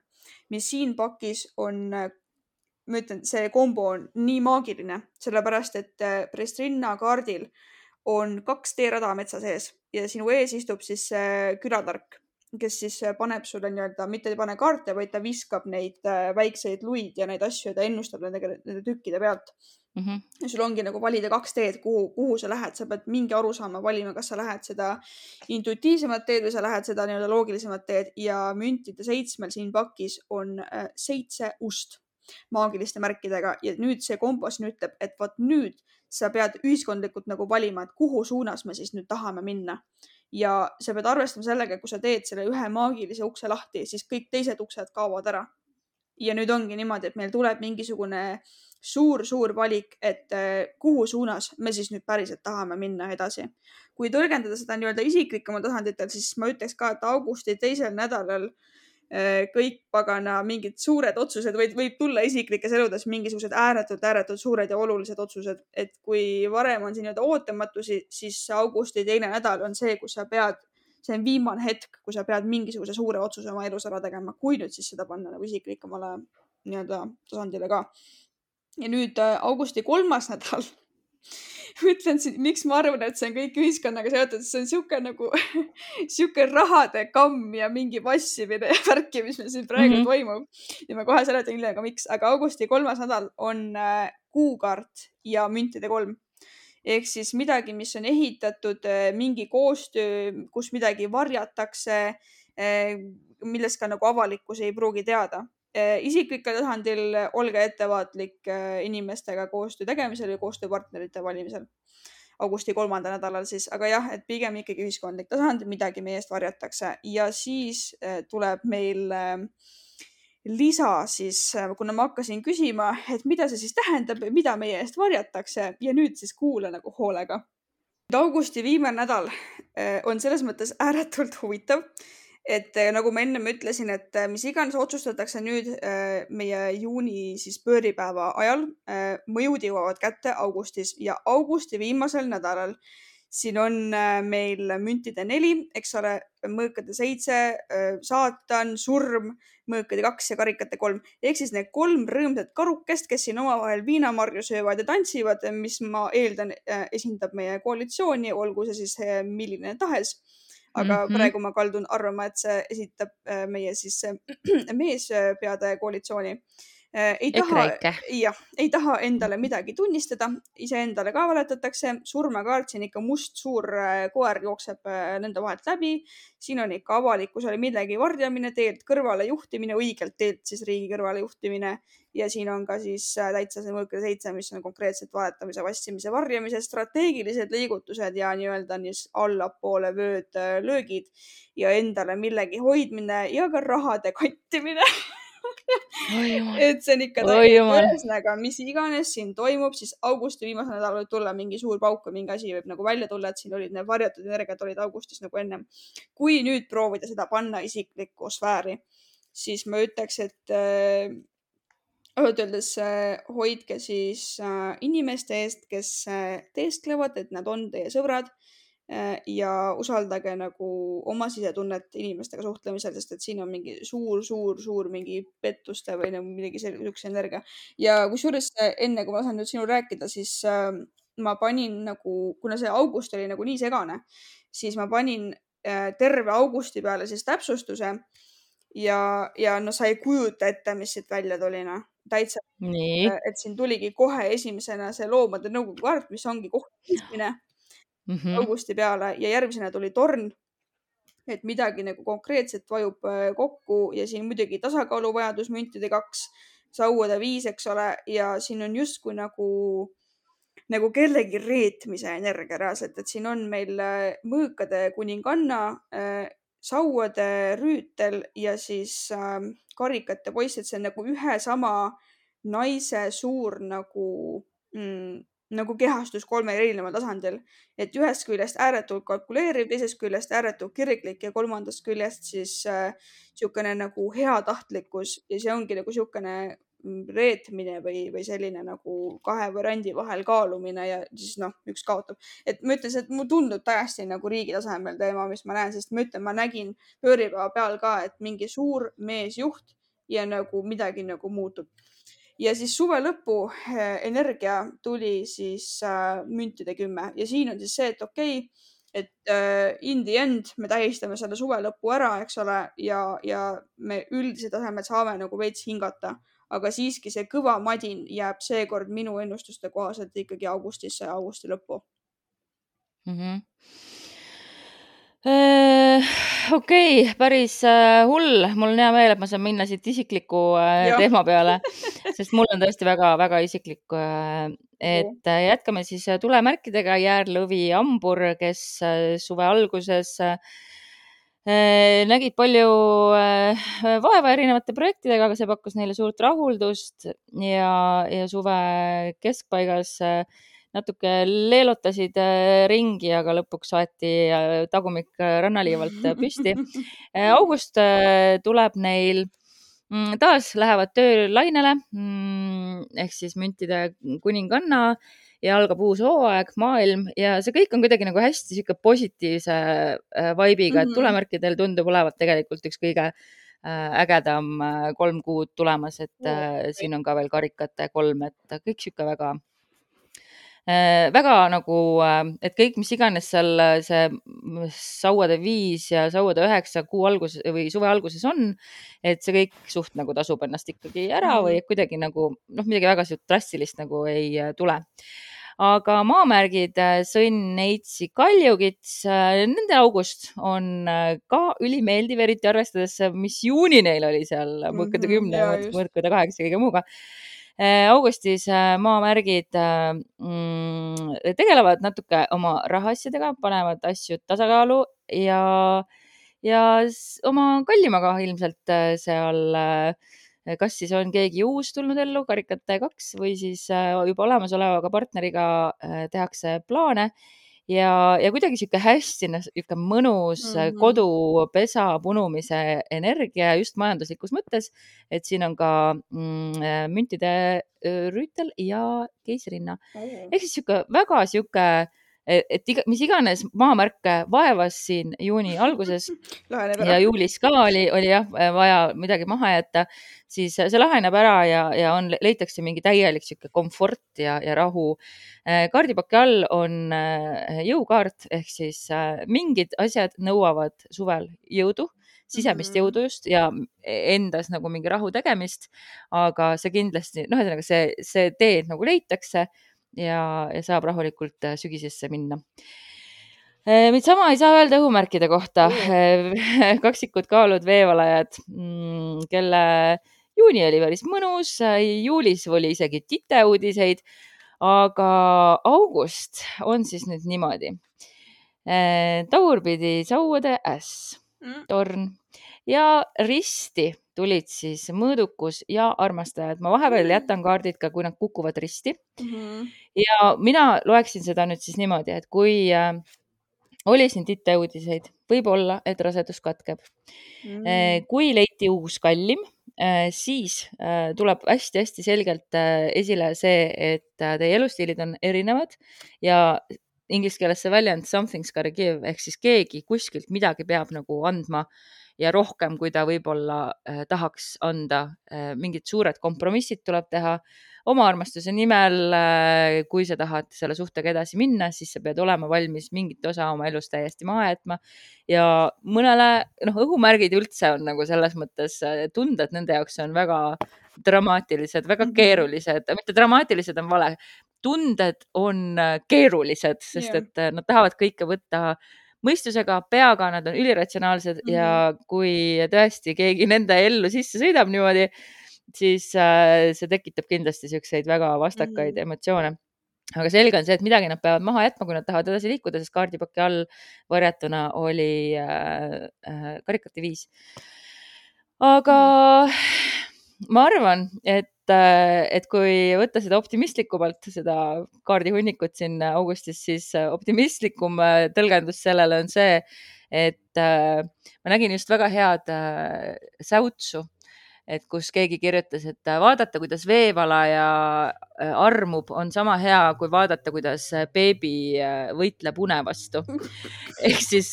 mis siin pakis on, ma ütlen, see kombo on nii maagiline, sellepärast et Prestrinna kaardil on 2 teerada metsa sees ja sinu ees istub siis külatark, kes siis paneb sulle nii-öelda, mitte ei pane kaarte, vaid ta viskab neid väikseid luid ja neid asju ja ta ennustab nende tükkide pealt. Ja sul ongi nagu valida 2 teed, kuhu sa lähed, sa pead mingi aru saama valima, kas sa lähed seda intuitiivsemat teed või sa lähed seda nii-öelda loogilisemat teed ja müntide 7 siin pakis on 7 ust maagiliste märkidega ja nüüd see kompas ütleb, et vot nüüd sa pead ühiskondlikult nagu valima, et kuhu suunas me siis nüüd tahame minna. Ja sa pead arvestama sellega, kui sa teed selle ühe maagilise ukse lahti, siis kõik teised uksed kaovad ära. Ja nüüd ongi niimoodi, et meil tuleb mingisugune suur valik, et kuhu suunas me siis nüüd päriselt tahame minna edasi. Kui tõlgendada seda nii-öelda isiklikumal tasanditel, siis ma ütleks ka, et augusti teisel nädalal kõik pagana mingid suured otsused võib tulla isiklikes eludes mingisugused ääretult suured ja olulised otsused. Et kui varem on siin nii-öelda ootamatusi, siis augusti teine nädal on see, kus sa pead, see on viimane hetk, kui sa pead mingisuguse suure otsuse oma elus ära tegema, kui nüüd siis seda panna nagu isiklikumale nii-öelda tasandile ka. Ja nüüd augusti 3. nädal ütlen siin, miks ma arvan, et see on kõik ühiskonnaga seotud, see on siuke nagu siuke rahade kamm ja mingi vassimine ja värki, mis meil siin praegu toimub. Ja ma kohe seletan hiljem ka miks, aga augusti 3. nädal on kuukaart ja müntide 3. Ehk siis midagi, mis on ehitatud, mingi koostöö, kus midagi varjatakse, millest ka nagu avalikkus ei pruugi teada. Isiklikul tasandil olge ettevaatlik inimestega koostöö tegemisel või koostööpartnerite valimisel augusti 3. nädalal siis, aga jah, et pigem ikkagi ühiskondlik tasand, midagi meie eest varjatakse ja siis tuleb meil lisa siis, kuna ma hakkasin küsima, et mida see siis tähendab, mida meie eest varjatakse ja nüüd siis kuula nagu hoolega. Augusti viimane nädal on selles mõttes ääretult huvitav, et nagu ma ennem ütlesin, et mis iganes otsustatakse nüüd meie juuni siis pööripäeva ajal, mõjud jõuavad kätte augustis ja augusti viimasel nädalal siin on meil müntide 4, eks ole, mõõkade 7, saatan, surm, mõõkade 2 ja karikate 3. Ehk siis need 3 rõõmsat karukest, kes siin omavahel viinamarju söövad ja tantsivad, mis ma eeldan esindab meie koalitsiooni, olgu see siis milline tahes. Aga praegu ma kaldun arvama, et see esitab meie siis meespeade koalitsiooni. Ei taha endale midagi tunnistada, iseendale ka valetatakse, surmakaart, siin ikka must suur koer jookseb nende vahelt läbi, siin on ikka avalikkusele millegi varjamine, teelt kõrvale juhtimine, õigelt teelt siis riigi kõrvale juhtimine ja siin on ka siis täitsa see mõõkade 7, mis on konkreetselt valetamise, vassimise, varjamise, strateegilised liigutused ja nii-öelda allapoole vööd löögid ja endale millegi hoidmine ja ka rahade kantimine. Et see on ikka ühesõnaga, mis iganes siin toimub, siis augusti viimasel nädalal võib tulla mingi suur pauk või mingi asi võib nagu välja tulla, et siin olid need varjatud energiat olid augustis nagu ennem. Kui nüüd proovida seda panna isiklikku sfääri, siis ma ütleks, et öeldes hoidke siis inimeste eest, kes teesklevad, et nad on teie sõbrad, ja usaldage nagu oma sisetunnet inimestega suhtlemisel, sest et siin on mingi suur mingi pettuste või nagu midagi sellise energia. Ja kusjuures enne, kui ma saan nüüd sinul rääkida, siis ma panin nagu, kuna see august oli nagu nii segane, siis ma panin terve augusti peale siis täpsustuse ja no sa ei kujuta ette, mis siit välja tuli, noh. Täitsa, nii. et siin tuligi kohe esimesena see loomade nõukogu kaart, mis ongi kohtumõistmine augusti peale ja järgmisena tuli torn, et midagi nagu konkreetset vajub kokku ja siin muidugi tasakaaluvajadus, müntide 2, sauade 5, eks ole, ja siin on justkui nagu kellegi reetmise energia reaalselt, et siin on meil mõõkade kuninganna, sauade rüütel ja siis karikate poiss, et see on nagu ühe sama naise suur nagu kehastus 3 erineval tasandil, et ühest küljest ääretult kalkuleeriv, teisest küljest ääretult kirglik ja kolmandast küljest siis niisugune nagu heatahtlikkus ja see ongi nagu niisugune reetmine või selline nagu kahe variandi vahel kaalumine ja siis noh, üks kaotab. Et ma ütlen, et mul tundub täiesti nagu riigi tasemel teema, mis ma näen, sest ma ütlen, ma nägin pööripäeva peal ka, et mingi suur meesjuht ja nagu midagi nagu muutub. Ja siis suve lõpu energia tuli siis müntide 10 ja siin on siis see, et okei, et in the end me tähistame selle suve lõpu ära, eks ole, ja me üldise tasemel saame nagu veits hingata, aga siiski see kõva madin jääb seekord minu ennustuste kohaselt ikkagi augustisse ja augusti lõppu. Okei, päris hull. Mul on hea meel, et ma saan minna siit isikliku teema peale, sest mul on tõesti väga isiklik. Et jätkame siis tulemärkidega. Jäärlõvi, hambur, kes suve alguses nägid palju vaeva erinevate projektidega, aga see pakkus neile suurt rahuldust ja suve keskpaigas natuke leelutasid ringi, aga lõpuks saeti tagumik rannaliivalt püsti. August tuleb neil, taas lähevad töölainele, ehk siis müntide kuninganna ja algab uus hooaeg, maailm ja see kõik on kuidagi nagu hästi sihuke positiivse vibe'iga, et tulemärkidel tundub olevat tegelikult üks kõige ägedam 3 kuud tulemas, et siin on ka veel karikate 3, et kõik sihuke väga nagu, et kõik, mis iganes seal see sauade 5 ja sauade 9 kuu alguses või suve alguses on, et see kõik suht nagu tasub ennast ikkagi ära või kuidagi nagu midagi väga drastilist nagu ei tule. Aga maamärgid Sõnn, Neitsi, Kaljukits, nende august on ka ülimeeldiv, eriti arvestades, mis juuni neil oli seal mõõkade 10, mõõkade 8 ja kõige muuga. Augustis maamärgid tegelevad natuke oma rahaasjadega, panevad asju tasakaalu ja oma kallimaga ilmselt seal kas siis on keegi uus tulnud ellu, karikate 2, või siis juba olemasolevaga partneriga tehakse plaane ja kuidagi sihuke hästi mõnus kodupesa punumise energia just majanduslikus mõttes, et siin on ka müntide rüütel ja keisrinna. Ehk siis väga sihuke, et mis iganes maamärke vaevas siin juuni alguses ja juulis ka oli jah vaja midagi maha jätta, siis see laheneb ära ja leitakse mingi täielik sihuke komfort ja rahu. Kaardipaki all on jõukaart ehk siis mingid asjad nõuavad suvel jõudu, sisemist jõudu just ja endas nagu mingi rahu tegemist, aga see kindlasti, ühesõnaga see tee nagu leitakse ja saab rahulikult sügisesse minna. Sama ei saa öelda õhumärkide kohta. Kaksikud, kaalud, veevalajad, kelle juuni oli päris mõnus, juulis oli isegi titeuudiseid, aga august on siis nüüd niimoodi. Tagurpidi sauade äss, torn ja risti tulid siis mõõdukus ja armastajad. Ma vahepeal jätan kaardid ka, kui nad kukuvad risti. Ja mina loeksin seda nüüd siis niimoodi, et kui oli siin titeuudiseid, võib olla, et rasedus katkeb. Kui leiti uus kallim, siis tuleb hästi selgelt esile see, et teie elustiilid on erinevad ja inglise keeles see väljend something's gotta give ehk siis keegi kuskilt midagi peab nagu andma ja rohkem, kui ta võib-olla tahaks anda. Mingid suured kompromissid tuleb teha oma armastuse nimel. Kui sa tahad selle suhtega edasi minna, siis sa pead olema valmis mingit osa oma elust täiesti maha jätma. Ja mõnele, õhumärgid üldse on nagu selles mõttes tunded, nende jaoks on väga dramaatilised, väga keerulised, mitte dramaatilised on vale. Tunded on keerulised, sest et nad tahavad kõike võtta mõistusega, peaga, nad on üliratsionaalsed ja kui tõesti keegi nende ellu sisse sõidab niimoodi, siis see tekitab kindlasti selliseid väga vastakaid emotsioone. Aga selge on see, et midagi nad peavad maha jätma, kui nad tahavad edasi liikuda, sest kaardipaki all varjatuna oli karikate 5. Aga ma arvan, et kui võtta seda optimistlikumalt, seda kaardihunnikut siin augustis, siis optimistlikum tõlgendus sellele on see, et ma nägin just väga head säutsu, et kus keegi kirjutas, et vaadata, kuidas veevalaja armub, on sama hea, kui vaadata, kuidas beebi võitleb une vastu. Ehk siis,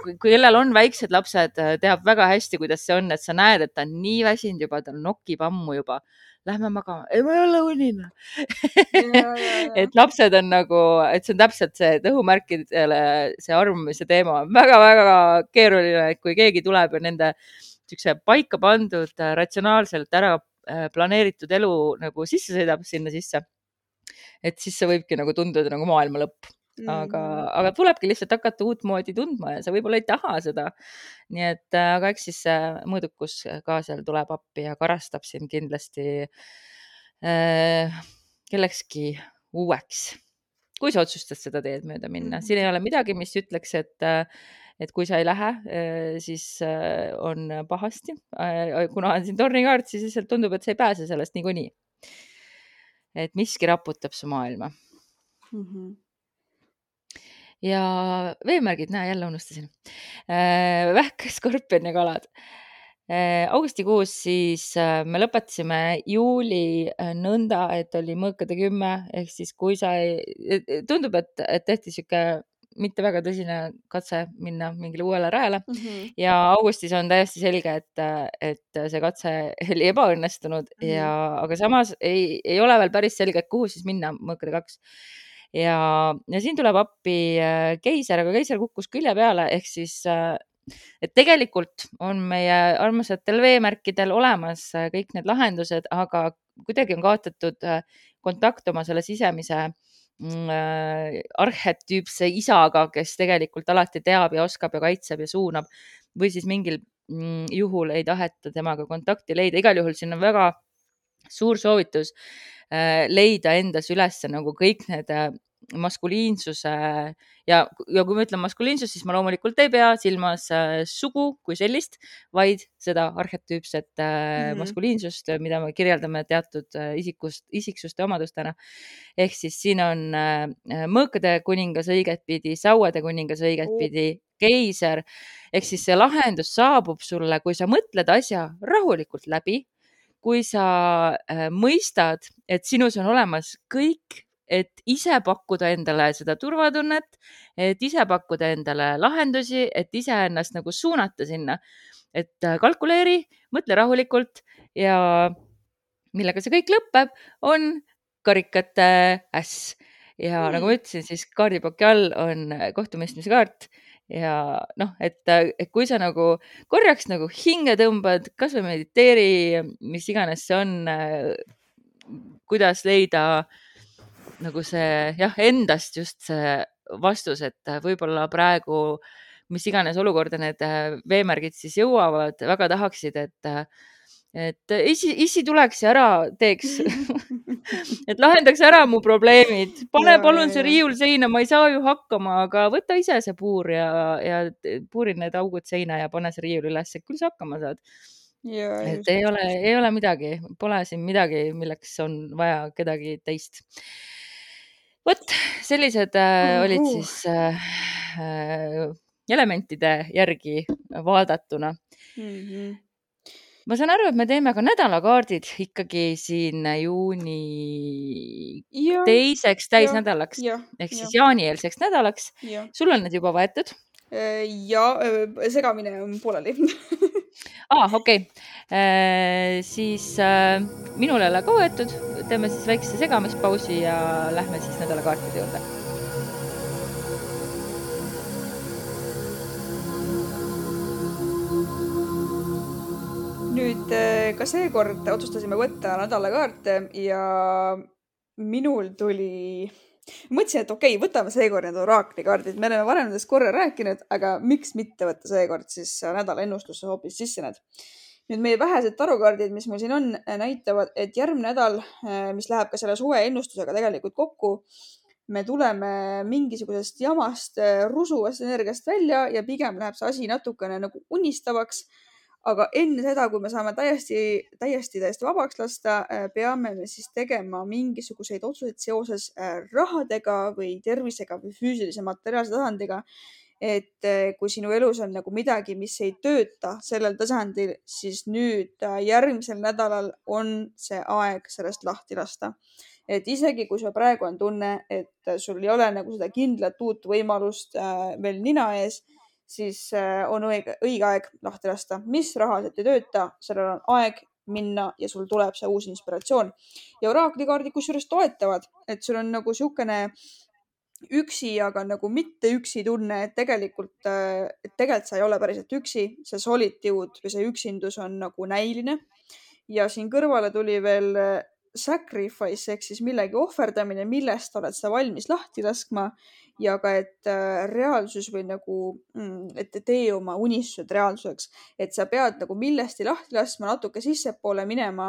kui kellel on väiksed lapsed, teab väga hästi, kuidas see on, et sa näed, et ta on nii väsinud juba, tal nokib ammu juba. Lähme magama. Ei, ma ei ole unine. Et lapsed on nagu, et see on täpselt see, et õhumärkidele see armumise teema on väga-väga keeruline, et kui keegi tuleb ja nende paika pandud, ratsionaalselt ära planeeritud elu nagu sisse sõidab sinna sisse, et siis see võibki nagu tunduda nagu maailma lõpp. Aga tulebki lihtsalt hakata uut moodi tundma ja sa võib-olla ei taha seda. Nii et, aga eks siis mõõdukus ka seal tuleb appi ja karastab siin kindlasti kellekski uueks, kui sa otsustad seda teed mööda minna. Siin ei ole midagi, mis ütleks, et kui sa ei lähe, siis on pahasti. Kuna on siin tornikaart, siis lihtsalt tundub, et sa ei pääse sellest niikuinii. Et miski raputab su maailma. Ja veemärgid, näe, jälle unustasin. Vähk, skorpion ja kalad. Augustikuus siis me lõpetasime juuli nõnda, et oli mõõkade 10, ehk siis kui sa tundub, et tehti siuke mitte väga tõsine katse minna mingile uuele rajale ja augustis on täiesti selge, et see katse oli ebaõnnestunud aga samas ei ole veel päris selge, kuhu siis minna mõõkade 2. Ja siin tuleb appi keiser, aga keiser kukkus külje peale, ehk siis et tegelikult on meie armsatel veemärkidel olemas kõik need lahendused, aga kuidagi on kaotatud kontakt oma selle sisemise arhetüüpse isaga, kes tegelikult alati teab ja oskab ja kaitseb ja suunab või siis mingil juhul ei taheta temaga kontakti leida. Igal juhul siin on väga suur soovitus leida endas üles nagu kõik need maskuliinsuse ja kui ma ütlen maskuliinsus, siis ma loomulikult ei pea silmas sugu kui sellist, vaid seda arhetüüpset maskuliinsust, mida me kirjeldame teatud isiksuste omadustena. Ehk siis siin on mõõkade kuningas õiget pidi, sauade kuningas õiget pidi, keiser. Ehk siis see lahendus saabub sulle, kui sa mõtled asja rahulikult läbi, kui sa mõistad, et sinus on olemas kõik, et ise pakkuda endale seda turvatunnet, et ise pakkuda endale lahendusi, et ise ennast nagu suunata sinna, et kalkuleeri, mõtle rahulikult ja millega see kõik lõpeb, on karikate äss. Ja nagu ma ütlesin, siis kaardipaki all on kohtumõistmise kaart ja et kui sa nagu korjaks nagu hinge tõmbad, kas või mediteeri, mis iganes see on, kuidas leida nagu see endast just see vastus, et võib-olla praegu mis iganes olukorda need veemärgid siis jõuavad, väga tahaksid, et isi tuleks ja ära teeks, et lahendaks ära mu probleemid, pane palun see riiul seina, ma ei saa ju hakkama, aga võta ise see puur ja puuri need augud seina ja pane see riiul üles, küll sa hakkama saad. Et ei ole midagi, pole siin midagi, milleks on vaja kedagi teist. Vot, sellised olid siis elementide järgi vaadatuna. ma saan aru, et me teeme ka nädalakaardid ikkagi siin juuni teiseks täisnädalaks ehk siis jaanieelseks nädalaks. Sul on need juba võetud? Ja segamine on pooleli. Okei. Siis minul ei ole ka võetud. Teeme siis väikse segamispausi ja lähme siis nädalakaartide juurde. Nüüd ka seekord otsustasime võtta nädalakaarte ja minul tuli... Mõtlesin, et okei, võtame seekord need oraaklikardid. Me oleme varem nendest korra rääkinud, aga miks mitte võtta seekord siis nädala ennustusse hoopis sisse need. Nüüd meie vähesed tarokardid, mis mul siin on, näitavad, et järgmine nädal, mis läheb ka selle suve ennustusega tegelikult kokku, me tuleme mingisugusest jamast rusuvast energiast välja ja pigem läheb see asi natukene nagu unistavaks. Aga enne seda, kui me saame täiesti vabaks lasta, peame me siis tegema mingisuguseid otsuseid seoses rahadega või tervisega või füüsilise materiaalse tasandiga. Et kui sinu elus on nagu midagi, mis ei tööta sellel tasandil, siis nüüd järgmisel nädalal on see aeg sellest lahti lasta. Et isegi kui sul praegu on tunne, et sul ei ole nagu seda kindlat uut võimalust veel nina ees, siis on õige aeg lahti lasta. Mis rahaliselt ei tööta, sellel on aeg minna ja sul tuleb see uus inspiratsioon. Ja oraaklikardid kusjuures toetavad, et sul on nagu siukene üksi, aga nagu mitte üksi tunne, et tegelikult sa ei ole päriselt üksi. See solitude või see üksindus on nagu näiline. Ja siin kõrvale tuli veel sacrifice ehk siis millegi ohverdamine, millest oled sa valmis lahti laskma. Ja ka, et reaalsus või nagu, et tee oma unistused reaalsuseks, et sa pead nagu millesti lahti laskma, natuke sissepoole minema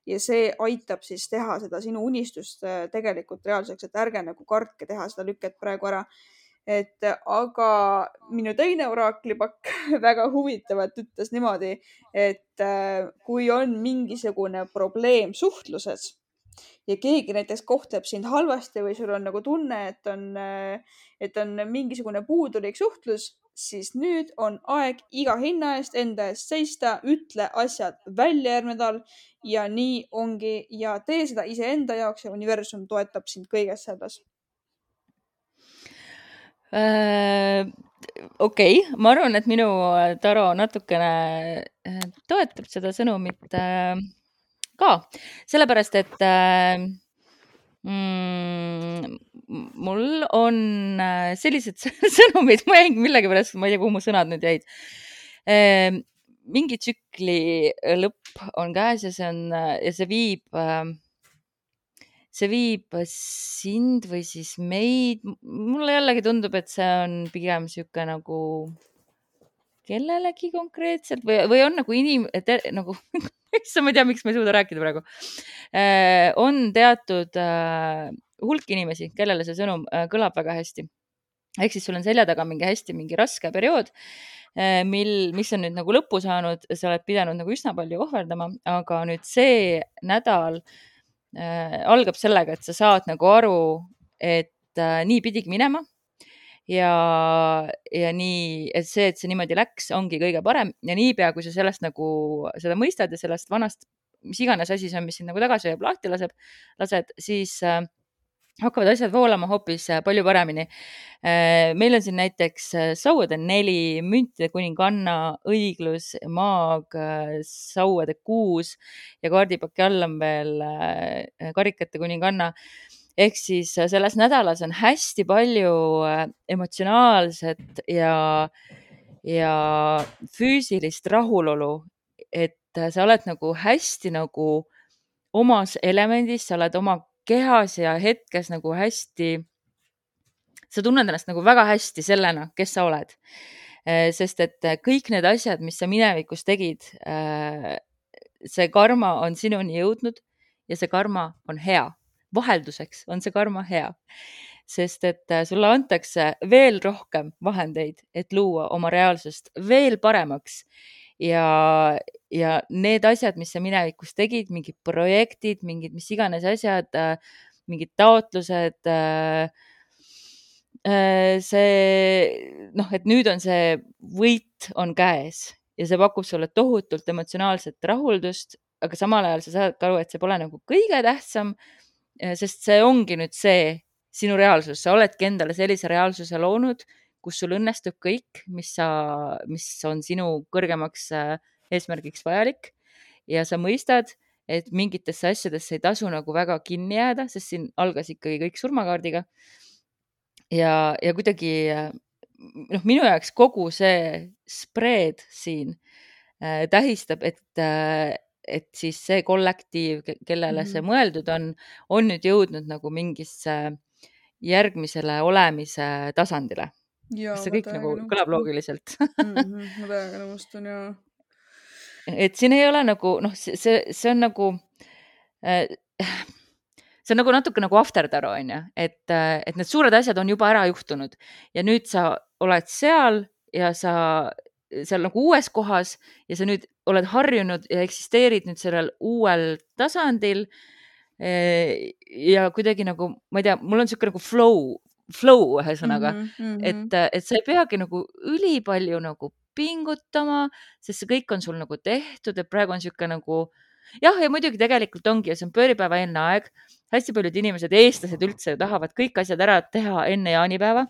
ja see aitab siis teha seda sinu unistust tegelikult reaalsuseks, et ärge nagu kartke teha seda lükket praegu ära. Et aga minu teine oraaklipakk väga huvitavalt ütles niimoodi, et kui on mingisugune probleem suhtluses, ja keegi näiteks kohtleb sind halvasti või sul on nagu tunne, et on mingisugune puudulik suhtlus, siis nüüd on aeg iga hinna eest enda eest seista, ütle asjad välja järgmine nädal ja nii ongi ja tee seda iseenda jaoks ja universum toetab sind kõiges selles. Okei, ma arvan, et minu taro natukene toetab seda sõnumit ka, sellepärast, et mul on sellised sõnumid, ma jäin millegipärast, ma ei tea, kuhu mu sõnad nüüd jäid. Mingi tsükli lõpp on käes ja see viib sind või siis meid. Mulle jällegi tundub, et see on pigem siuke nagu kellelegi konkreetselt või on nagu nagu ma ei tea, miks ma ei suuda rääkida praegu. On teatud hulk inimesi, kellele see sõnum kõlab väga hästi. Ehk siis sul on selja taga mingi raske periood, mis on nüüd nagu lõppu saanud, sa oled pidanud nagu üsna palju ohverdama, aga nüüd see nädal algab sellega, et sa saad nagu aru, et nii pidigi minema ja nii, et see niimoodi läks, ongi kõige parem ja niipea, kui sa sellest nagu seda mõistad ja sellest vanast, mis iganes asi see on, mis sind nagu tagasi hoiab, lahti lased, siis hakkavad asjad voolama hoopis palju paremini. Meil on siin näiteks sauade 4, müntide kuninganna, õiglus, maag, sauade 6 ja kaardipaki all on veel karikate kuninganna. Ehk siis selles nädalas on hästi palju emotsionaalset ja füüsilist rahulolu, et sa oled nagu hästi nagu omas elemendis, sa oled oma kehas ja hetkes nagu hästi, sa tunned ennast nagu väga hästi sellena, kes sa oled. Sest et kõik need asjad, mis sa minevikus tegid, see karma on sinuni jõudnud ja see karma on hea. Vahelduseks on see karma hea. Sest et sulle antakse veel rohkem vahendeid, et luua oma reaalsust veel paremaks. Ja need asjad, mis sa minevikus tegid, mingid projektid, mingid mis iganes asjad, mingid taotlused, see, et nüüd on see võit on käes ja see pakub sulle tohutult emotsionaalset rahuldust, aga samal ajal sa saad aru, et see pole nagu kõige tähtsam, sest see ongi nüüd see sinu reaalsus, sa oledki endale sellise reaalsuse loonud, kus sul õnnestub kõik, mis on sinu kõrgemaks eesmärgiks vajalik ja sa mõistad, et mingitesse asjadesse ei tasu nagu väga kinni jääda, sest siin algas ikkagi kõik surmakaardiga. Ja kuidagi minu jaoks kogu see spreed siin tähistab, et siis see kollektiiv, kellele see mõeldud on nüüd jõudnud nagu mingisse järgmisele olemise tasandile. Kas see kõik nagu kõlab loogiliselt? Ma täiega nõustun ja. Et siin ei ole nagu, see on nagu, see on nagu natuke nagu aftertaro, on ju, et need suured asjad on juba ära juhtunud ja nüüd sa oled seal ja sa seal nagu uues kohas ja sa nüüd oled harjunud ja eksisteerid nüüd sellel uuel tasandil. Ja kuidagi nagu, ma ei tea, mul on siuke nagu flow ühesõnaga, et sa ei peagi nagu ülipalju nagu pingutama, sest see kõik on sul nagu tehtud, et praegu on siuke nagu jah, ja muidugi tegelikult ongi, see on pööripäeva enne aeg. Hästi paljud inimesed, eestlased üldse tahavad kõik asjad ära teha enne jaanipäeva.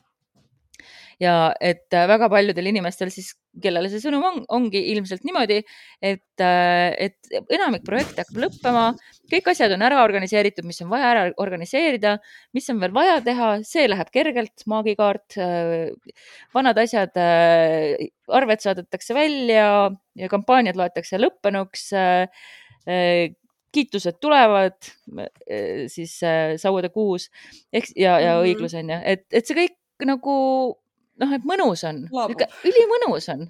Ja et väga paljudel inimestel siis, kellele see sõnum ongi ilmselt niimoodi, et enamik projekte hakkab lõppema, kõik asjad on ära organiseeritud, mis on vaja ära organiseerida, mis on veel vaja teha, see läheb kergelt, maagikaart, vanad asjad, arved saadetakse välja ja kampaaniad loetakse lõppenuks, kiitused tulevad siis sauade kuus ja õiglus on ju, et see kõik nagu et mõnus on, ülimõnus on,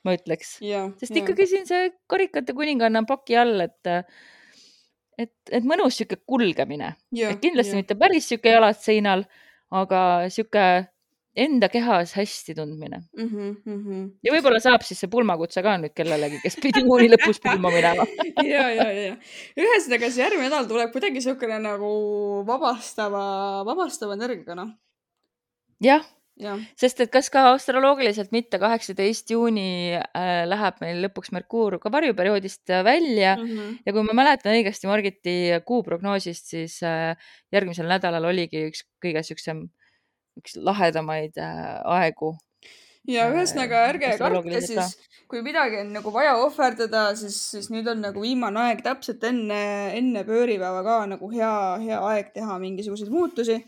ma ütleks, sest ikkagi siin see karikate kuninganna on paki all, et mõnus siuke kulgemine, et kindlasti mitte päris siuke jalad seinal, aga siuke enda kehas hästi tundmine. Ja võib-olla saab siis see pulmakutse ka nüüd kellelegi, kes pidi juuni lõpus pulma minema. ja. Ühesõnaga see järgmine nädal tuleb kuidagi siukene nagu vabastava energiaga, Jah. Sest et kas ka astroloogiliselt mitte 18 juuni läheb meil lõpuks Merkuur ka varjuperioodist välja ja kui ma mäletan õigesti Margiti kuuprognoosist, siis järgmisel nädalal oligi üks kõige üks lahedamaid aegu. Ja ühesõnaga ärge kartke siis, kui midagi on nagu vaja ohverdada, siis nüüd on nagu viimane aeg täpselt enne pööripäeva ka nagu hea aeg teha mingisuguseid muutusi.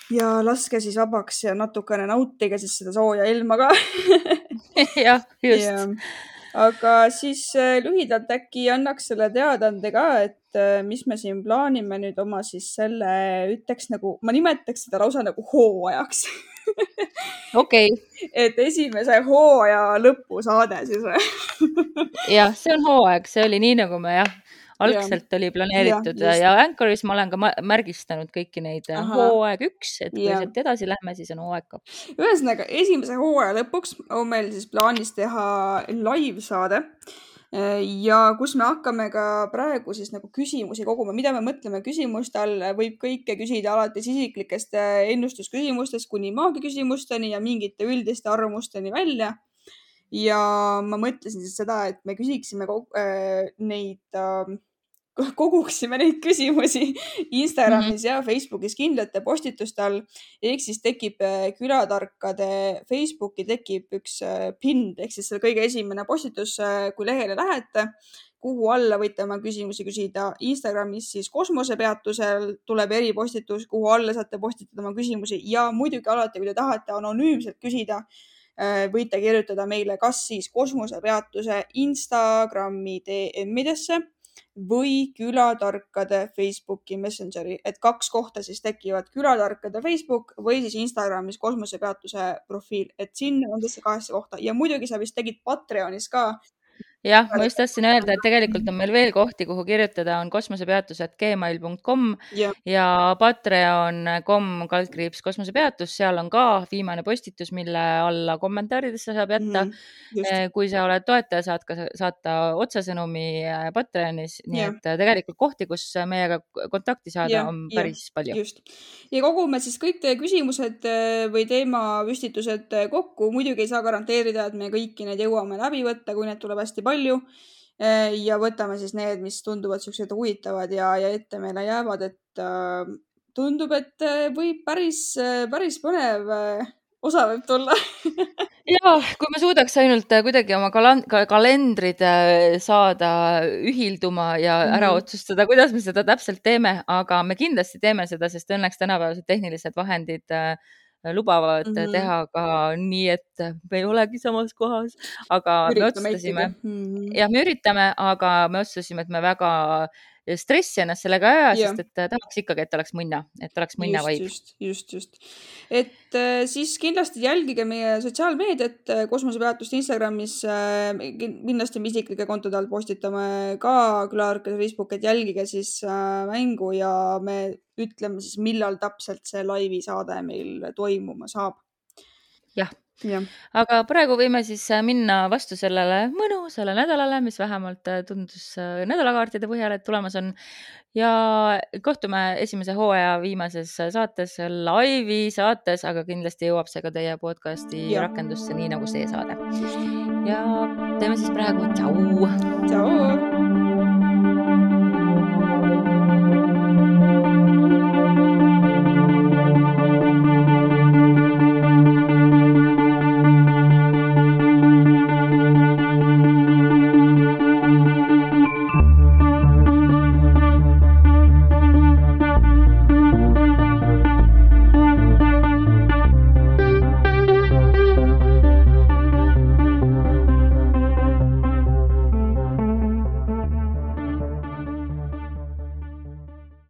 Ja laske siis vabaks ja natukene nautige siis seda sooja ilma ka. Jah, just. Aga siis lühidalt äkki annaks selle teadande ka, et mis me siin plaanime nüüd oma siis selle, ütleks nagu, ma nimetaks seda lausa nagu hooajaks. Okei. Et esimese hooaja lõpusaade siis. Jah, see on hooaeg, see oli nii nagu me algselt oli planeeritud ja Anchoris ma olen ka märgistanud kõiki neid hooaeg 1, et kui sealt edasi lähme, siis on hooaeg 2. Ühesõnaga, esimese hooaja lõpuks on meil siis plaanis teha live-saade ja kus me hakkame ka praegu siis nagu küsimusi koguma, mida me mõtleme küsimuste all, võib kõike küsida alates isiklikest ennustusküsimustest kuni maagiküsimusteni ja mingite üldiste arvamusteni välja. Ja ma mõtlesin siis seda, et me koguksime neid küsimusi Instagramis ja Facebookis kindlate postituste all. Ehk siis tekib külatarkade Facebooki tekib üks pind, ehk siis see kõige esimene postitus, kui lehele lähete, kuhu alla võite oma küsimusi küsida. Instagramis siis kosmosepeatusel tuleb eripostitus, kuhu alla saate postitada oma küsimusi ja muidugi alati, kui te tahate anonüümselt küsida, võite kirjutada meile kas siis kosmosepeatuse Instagrami DM-idesse või külatarkade Facebooki Messengeri, et 2 kohta siis tekivad külatarkade Facebook või siis Instagramis kosmosepeatuse profiil, et sinna on tõesti 2 kohta ja muidugi sa vist tegid Patreonis ka jah, ma just tahtsin öelda, et tegelikult on meil veel kohti, kuhu kirjutada, on kosmosepeatus@gmail.com ja ja patreon.com/kosmosepeatus, seal on ka viimane postitus, mille alla kommentaaridesse saab jätta. just , Kui sa oled toetaja, saad ka saata otsesõnumi Patreonis, nii ja , et tegelikult kohti, kus meiega kontakti saada, ja , on ja päris palju. just . ja kogume siis kõik teie küsimused või teemapüstitused kokku . muidugi ei saa garanteerida, et me kõiki neid jõuame läbi võtta, kui neid tuleb hästi palju . ja võtame siis need, mis tunduvad siuksed huvitavad ja ette meile jäävad , et tundub , et võib päris põnev osa võib tulla . ja kui me suudaks ainult kuidagi oma kalendrid saada ühilduma ja ära otsustada, kuidas me seda täpselt teeme, aga me kindlasti teeme seda, sest õnneks tänapäevased tehnilised vahendid lubavad teha ka nii, et me ei olegi samas kohas, aga me otsustasime , jah , me üritame, aga me otsustasime, et me väga stressi ennast sellega ei aja , sest et tahaks ikkagi, et oleks mõnna vibe . just . et siis kindlasti jälgige meie sotsiaalmeediat , kosmosepeatust Instagramis , kindlasti me isiklike kontode all postitame ka Külarkade Facebook , et jälgige siis mängu ja me ütleme siis , millal täpselt see laivi saade meil toimuma saab . jah , aga praegu võime siis minna vastu sellele mõnusale nädalale, mis vähemalt tundus nädalakaartide põhjal, et tulemas on ja kohtume esimese hooaja viimases saates , laivi saates, aga kindlasti jõuab see ka teie podcasti rakendusse , nii nagu see saade . ja teeme siis praegu tšau . tšau .